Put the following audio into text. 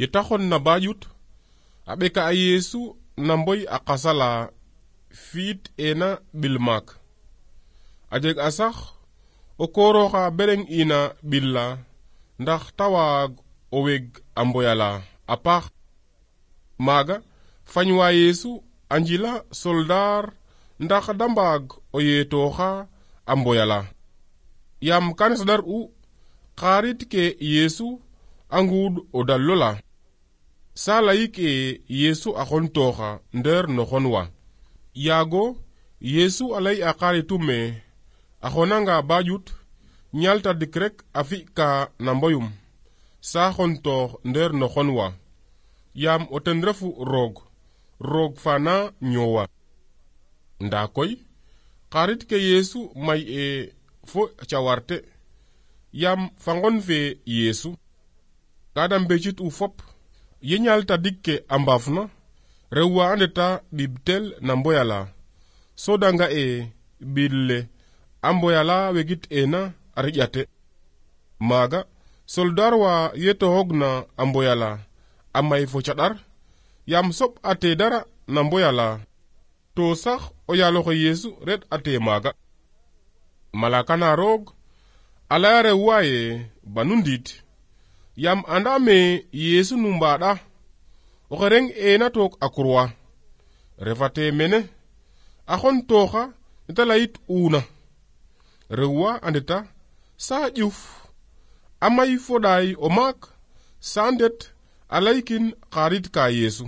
Yetaxon na bayut a ɓeka a Yesu na mboy a qasala fiit ena ɓilmaak a jeg a sax o kooroxa bereng ina ɓilla ndax ta waag o weg a mboyala a paax. Maaga fañwa Yesu a njila soldaar ndax da mbaag o yeetooxa a mboyala. Yam kan sadar u xarit ke Yesu a nguud o dallola. Sa layik e Yesu a xontooxa nder no xon wa. Yaago Yesu a lay a xaritume a xonanga bayut ñalta dik rek a fi'ka na mboyum sa xontoox nder no xon wa. Yam o ten refu roog fana ñoowa. Nda koy xarit ke Yesu may e fo cawarte yam fa ngon fe Yesu kada mbecit u fop ye ñalta dikke a mbaafna rew wa andeta ɓibtel na mboyala so danga e ɓille a mboyala wegit ena a riƴate. Maaga soldar wa ye toxogna a mboyala a may fo caɗar yam soɓ ate dara na mboyala to sax o yaaloxe Yesu ret ate maaga. Malaka na roog a laya rew waye banu ndiid yam anda me Yesu nu mbaɗa oxe reng ena took a kurwa refate mene a xon tooxa neta layit una rew wa andeta sa ƴuf a may foɗaay o maak sa ndet a laykin xarit ka Yesu.